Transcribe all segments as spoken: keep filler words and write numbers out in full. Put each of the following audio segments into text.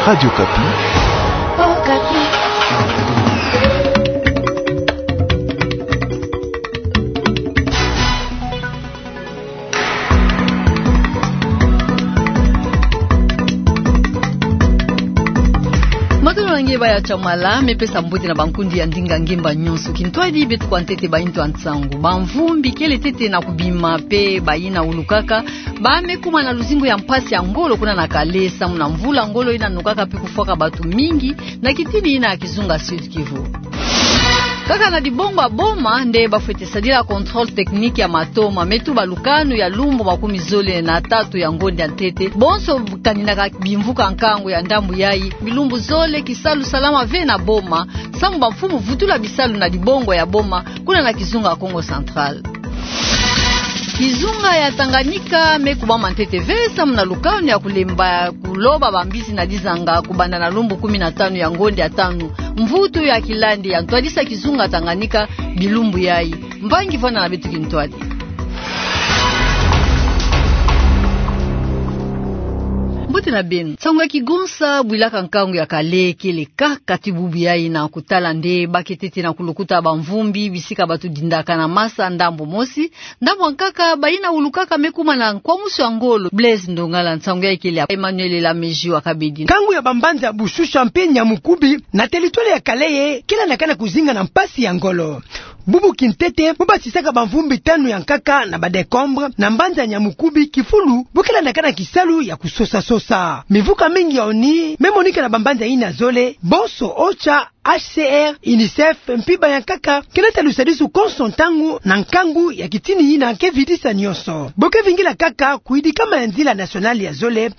Radio Okapi. Matondo na nge baya Tshamala, me pesa mbote na bankundi ya ndinga ngemba nyonso. Kintwadi beto kwa ntete baintu ya nsangu. Bamvumbi kele ntete na kubima pe bayina ulukaka, ba me kuma na luzingu ya mpasi ya ngolo kuna na Calais, samu na mvula ngolo yina nokaka pe kufwaka bato mingi na kitini yina ya kizunga Sud-Kivu. Kaka na dibongo ya Boma nde bafwete sadila contrôle technique ya matoma me tuba lukanu ya lumbu makumi zole na tatu ya ngonde ya ntete. Bonso kaninaka bimvuka nkangu ya ndambu yayi, bilumbu zole kisalu salama ve na Boma, samu bamfumu vutula bisalu na dibongo ya Boma, kuna na kizunga Kongo Central. Kizunga ya Tanganyika me kubama ntete ve samu na lukanu ya kulemba kuloba bambisi na dizanga kubanda na lumbu kumi na tanu ya ngonde ya tanu. Mvutu ya kilandi ya ntwadisa kizunga Tanganyika bilumbu yayi. Mvangi vwanda na beto kintwadi. Mbote na beno. Nsangu ya kigonsa bwilaka nkangu ya Calais kele kaka ti bubu yayi na kutala nde ba ke ntete na kulukuta bamvumbi bisika bato dindaka na masa ndambu mosi, ndambu ya nkaka bayina ulukaka me kuma na nkwamusu ya ngolo. Blaise Ndongala, nsangu yayi kele ya Emmanuel Lamejua Kabedi. Nkangu ya bambanza Bouchoucha mpe Niamoukoubou na territoire ya Calais kele na kana kuzinga na mpasi ya ngolo. Bubu kintete, bo basisaka bamvumbi tanu ya nkaka na ba décombres na mbanza Niamoukoubou, kifulu bo kele na kana kisalu ya kusosa-sosa. Mimvuka mingi ya ONU me monika na bambanza yina zole, bonso OCHA, H C R, UNICEF, mpimpa ya nkaka ke nata lusadisu konso ntangu na nkangu ya kitini yina ke vidisa nyonso. Bo ke vingila kaka kuyidikama ya nzila nationale ya zole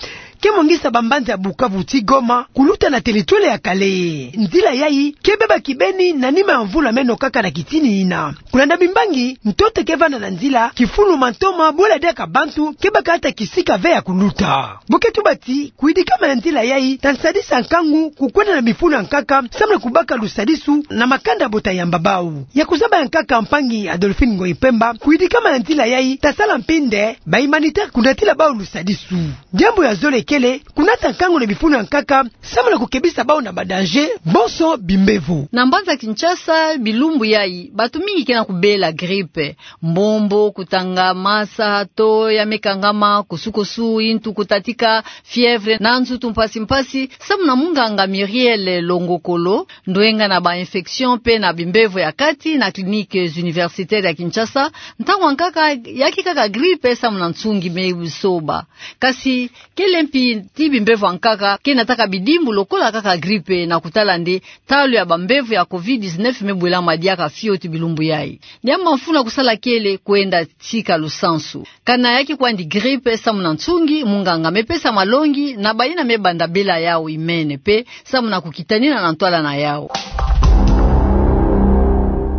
ke mongisa bambanza ya Bukavu ti Goma kuluta na territoire ya Calais. Nzila yayi ke beba kibeni na nima ya mvula me nokaka na kitini yina. Kulanda bimbangi, ntoto ke vanda na nzila, kifulu matoma bola diaka bantu ke baka ata kisika ve ya kuluta. Bo ke tuba ti kuyidikama ya nzila yayi ta sadisa nkangu kukwenda na bifulu ya nkaka samu na kubaka lusadisu na makanda bo ta yamba bau. Ya kuzaba ya nkaka mpangi Adolphine Ngoyi Pemba, kuyidikama ya nzila yayi ta sala mpi nde ba humanitaires kunatila bau lusadisu. Diambu ya zole kele kunata nkangu na bifulu ya nkaka samu na kukebisa bau na ba danger bonso bimbevo. Na mbanza Kinshasa, bilumbu yayi bato mingi ke na kubela grippe. Mbombo, kutanga masa, to ya me kangama, kusu-kusu, yintu kutatika, fièvre na nzutu mpasi-mpasi, samu na munganga Muriel Longokolo, ndwenga na ba infections mpe na bimbevo ya kati na cliniques universitaires ya Kinshasa. Ntangu ya nkaka ya ke kaka grippe samu na nsungi me soba. Kasi kele mpi ti bimbevo ya nkaka ke nataka bidimbu lokola kaka grippe, na kutala nde ntalu ya bambevo ya covid dix-neuf me bwelama diaka fioti bilumbu yayi. Diambu ya mfunu ya kusala kele kwenda tika lusansu. Kana ya ke kwandi grippe samu na nsungi, munganga me pesa malongi na bayina me banda bela yau imene mpe samu na kukitanina na ntwala na yau.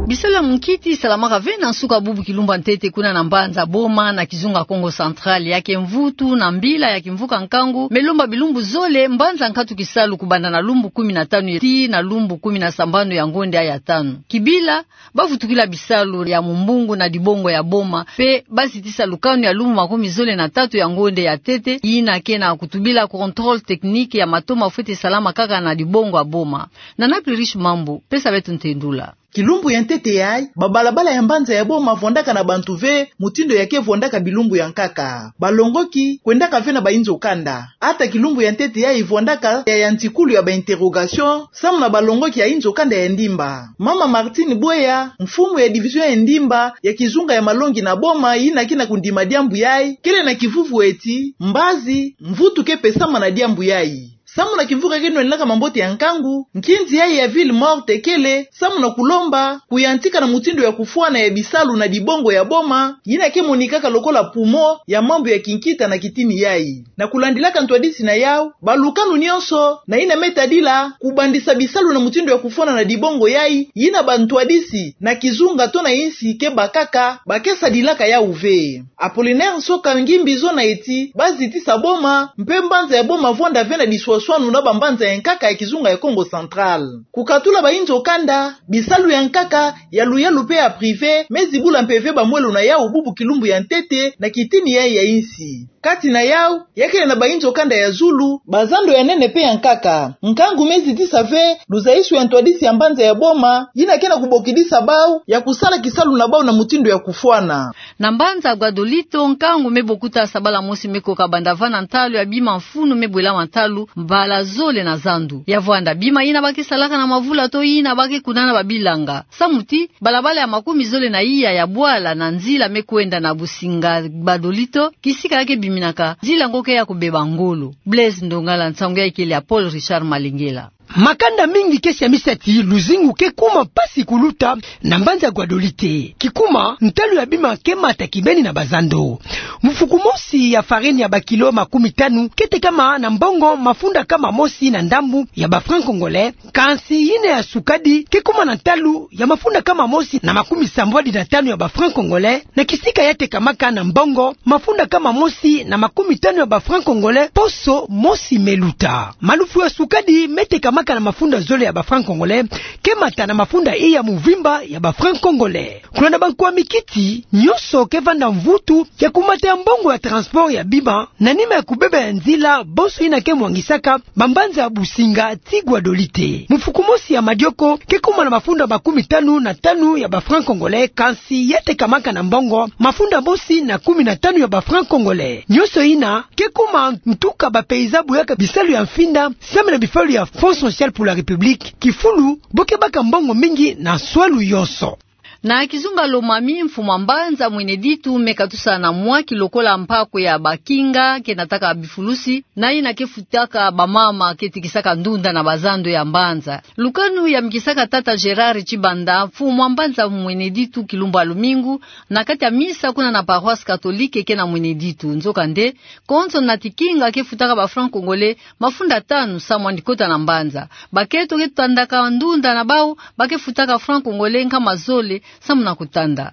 Bisalu ya munkiti salamaka ve na nsuka bubu kilumbu ya ntete kuna na mbanza Boma na kizunga Kongo Central. Ya ke mvutu na mbila ya kimvuka nkangu me lomba bilumbu zole, mbanza nkatu kisalu kubanda na lumbu kumi na tanu tii na lumbu kumi na sambanu ya ngonde ya tanu. Kibila, ba vutukila bisalu ya mumbungu na dibongo ya Boma, mpe ba zitisa lukanu ya lumbu makumi zole na tatu ya ngonde ya ntete, yina ke na kutubila contrôle technique ya matoma fwete salama kaka na dibongo ya Boma. Nana Plurish Mambu, pesa beto ntendula. Kilumbu ya ntete yayi, babalabala ya mbanza ya Boma vwandaka na bantu ve, mutindu ya ke vwandaka bilumbu ya nkaka. Balongoki kwendaka ve na bayinzo kanda. Ata kilumbu ya ntete yayi vwandaka ya, ya ntikulu ya ba interrogations samu na balongoki ya inzo kanda ya Ndimba. Mama Martine Bweya, mfumu ya division ya Ndimba ya kizunga ya malongi na Boma, yina ke na kundima diambu yayi, kele na kivuvu eti mbazi, mvutu ke pesama na diambu yayi. Samu na kimvuka ke nwenaka mambote ya nkangu, nkinzi yayi ya ville morte kele samu na kulomba kuyantika na mutindu ya kufwana ya bisalu na dibongo ya Boma, yina ke monikaka lokola poumon ya mambu ya kinkita na kitini yayi. Na kulandilaka ntwadisi na yau, balukanu nyonso na yina me tadila kubandisa bisalu na mutindu ya kufwana na dibongo yayi, yina bantwadisi na kizunga to na insi ke bakaka, ba ke sadilaka yau ve. Apollinaire Nsoka Ngimbi zona eti ba zitisa Boma, mpe mbanza ya Boma vwanda ve na diswaswanu na bambanza ya nkaka ya kizunga ya Kongo Central. Kukatula bayinzo kanda, bisalu ya nkaka, ya luyalu mpe ya privé, me zibula mpeve bamwelo na yau bubu kilumbu ya ntete na kitini yayi ya insi. Kati na yau, yakele na bainzo kanda ya zulu, bazando ya nene pe ya nkaka. Nkangu me zitisa ve luzaisu ya ntwadisi ya mbanza ya boma, yina ke na kubokidisa bau ya kusala kisalu na bau na mutindu ya kufwana. Na mbanza Guadolito, nkangu me bokuta sabala mosi me koka banda vana ntalu ya bima mfunu me bwela ntalu mbala zole na zandu. Ya vwanda, bima yina ba ke salaka na mavula to yina ba ke kunana babilanga. Samu ti, balabala ya makumi zole na iya ya bwala na nzila me kwenda na Businga Guadolito, kisika ya ke biminaka, nzila ngo ke ya kubeba ngolo. Blaise Ndongala, nsangu ya ikele ya Paul Richard Malengela. Makanda mingi ke siamisa ti luzingu ke kuma mpasi kuluta na mbanza Guadolite. Kikuma, ntalu ya bima ke mata kibeni na bazando. Mufuku mosi ya farine ya bakilo makumi tanu ke tekama na mbongo mafunda kama mosi na ndambu ya ba francs congolais, kansi yina ya sukadi ke kuma na ntalu ya mafunda kama mosi na makumi sambwadi na tanu ya ba francs congolais, na kisika ya tekamaka na mbongo mafunda kama mosi na makumi tanu ya ba francs congolais poso mosi me luta. Malufu ya sukadi me tekamaka na mafunda zole ya ba francs congolais ke mata na mafunda iya muvimba ya ba francs congolais. Kulanda bankwami kiti, nyonso ke vanda mvutu ya kumata ya mbongo ya transport ya bima, na nima ya kubeba ya nzila, bonso yina ke mwangisaka bambanza ya Businga ti Guadolite. Mufuku mosi ya madioko ke kuma na mafunda makumi tanu na tanu ya ba francs congolais, kansi ya tekamaka na mbongo mafunda mosi na kumi na tanu ya ba francs congolais. Nyonso yina ke kuma ntuka ba paysan boyaka bisalu ya mfinda, samu na bifalu ya Fonds Social pour la République, kifulu bo ke baka mbongo mingi na swalu yonso. Na kizunga Lomami, mfumu a mbanza Mweneditu me katusa na mwaki lokola mpaku ya bakinga ke nataka bifulusi, na yina ke futaka bamama ke tikisaka ndunda na bazando ya mbanza. Lukanu ya mikisaka tata Gérard Tshibanda, mfumu a mbanza Mweneditu, kilumbu ya lumingu, na kati ya misa kuna na paroisse catholique ke na Mweneditu. Nzokande, konso nati kinga ke futaka ba francs congolais mafunda tanu samu andi kota na mbanza. Bakento ke tandaka ndunda na bau, ba ke futaka francs congolais nkama zole samu na kutanda.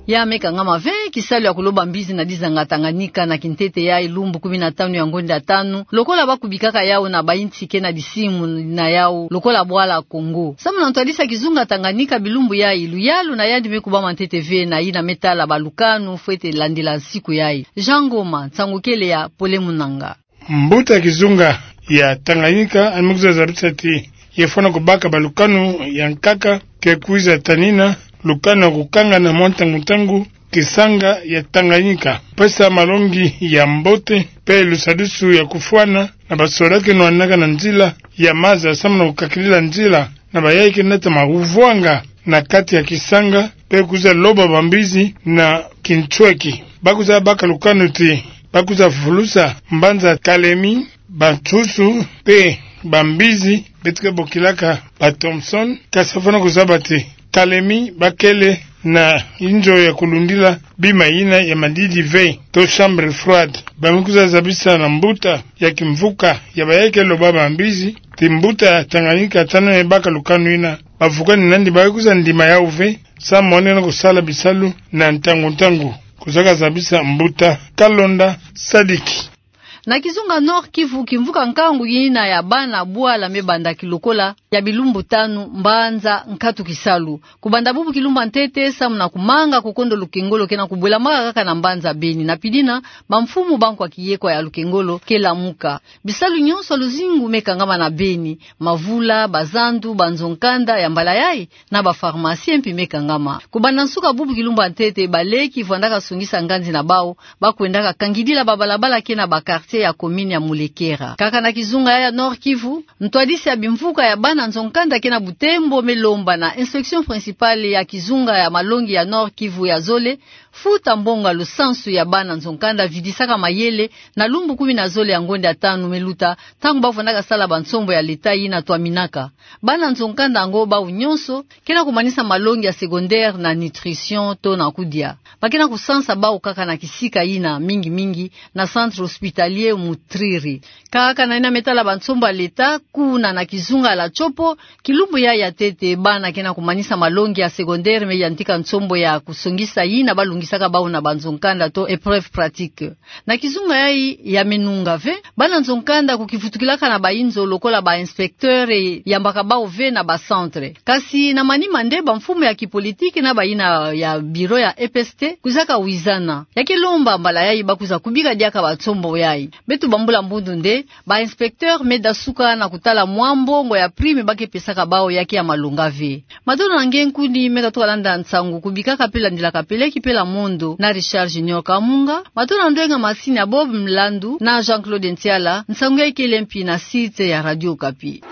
Ya me kangama ve kisalu ya kuloba mbizi na dizanga Tanganyika na kintete yayi lumbu kumi na tanu ya ngonda ya tanu, lokola ba kubikaka yau na bainsi ke na disimu na yau lokola bwala Congo. Samu na ntwadisi ya kizunga Tanganyika bilumbu yayi, luyalu na yandi me kubama ntete ve na yina me tala balukanu fwete landila nsiku yayi. Jean Ngoma, nsangu kele ya Pole Munanga. Mbuta kizunga ya Tanganyika, yandi me kwiza zabisa ti yafwana kubaka balukanu ya nkaka ke kwiza tanina lukanu ya kukangana mwa ntangu-ntangu kisanga ya Tanganyika, pesa malongi ya mbote pe lusadusu ya kufwana na basoda ke nwanaka na nzila ya maza samu na kukakilila nzila na bayayi ke nata ma kuvwanga na kati ya kisanga, pe kwiza loba bambizi na kintweki. Ba kwiza baka lukanu ti ba kwiza fulusa mbanza Kalemi, bansusu pe bambizi beto ke bokilaka ba Thomson, kasi fwana kuzaba ti Kalemi ba kele na inzo ya kulundila bima yina ya madidi ve, to chambre froide. Ba me kwiza zabisa na mbuta ya kimvuka ya bayayi ke loba bambizi ti mbuta Tanganyika tano me baka lukanu yina, bavukani nandi ba kwiza ndima yau ve, samu na kusala bisalu na ntangu-ntangu. Kuzaka zabisa mbuta Kalonda Sadiki. Na kizunga Nord-Kivu, kimvuka nkangu yina ya bana bwala me bandaki lokola ya bilumbu tanu, mbanza nkatu kisalu. Kubanda bubu kilumbu ya ntete samu na kumanga kukondo lukengolo ke na kubwelamaka kaka na mbanza Beni. Na pidina, bamfumu ba nkwa kiyekwa ya lukengolo ke lamuka. Bisalu nyonso ya luzingu me kangama na Beni, mavula, bazandu, banzo-nkanda, ya mbala yayi na ba pharmacie mpi me kangama. Kubanda nsuka bubu kilumbu ya ntete, baleki vwandaka sungisa nganzi na bau, ba kwendaka kangidila babalabala ke na ba quartier ya commune ya Mulekera. Kaka na kizunga ya Nord-Kivu, ntwadisi ya bimvuka ya bana nzo-nkanda ke na Butembo me lomba na inspection principale ya kizunga ya malongi ya Nord-Kivu ya zole futa mbongo ya lusansu ya bana nzo-nkanda vidisaka mayele na lumbu kumi na zole ya ngonda ya tanu me luta, ntangu ba vwandaka sala bansombo ya leta yina twaminaka. Bana nzo-nkanda yango bau nyonso ke na kumanisa malongi ya secondaire na nutrition to na kudia. Ba ke na kusansa bau kaka na kisika yina, mingi-mingi na centre hospitalier Mutriri. Kaka na yina me tala bansombo ya leta, kuna na kizunga la Tshopo, kilumbu yayi ya ntete bana ke na kumanisa malongi ya secondaire me yantika nsombo ya kusongisa yina balungisaka bau na banzo-nkanda to épreuves pratiques. Na kizunga yayi ya menunga ve, bana nzo-nkanda kukivutukilaka na bayinzo lokola ba inspecteurs yambaka bau ve na ba centres. Kasi na manima nde bamfumu ya kipolitiki na bayina ya bureau ya E P S T kwizaka wizana. Ya ke lomba mbala yayi bakwiza kubika diaka bansombo yayi. Beto bambula mbundu nde, ba inspecteurs me dasuka na kutala mwa mbongo ya prime ba ke pesaka bau ya ke ya malonga ve. Matondo na nge nkuni me katuka landa nsangu kubika ka pe landila ka peleki pela mondo na Richard Junior Kamunga. Matondo na ndwenga masini ya Bob Mlandu na Jean-Claude Ntiala, nsangu yayi kele mpi na site ya Radio Okapi.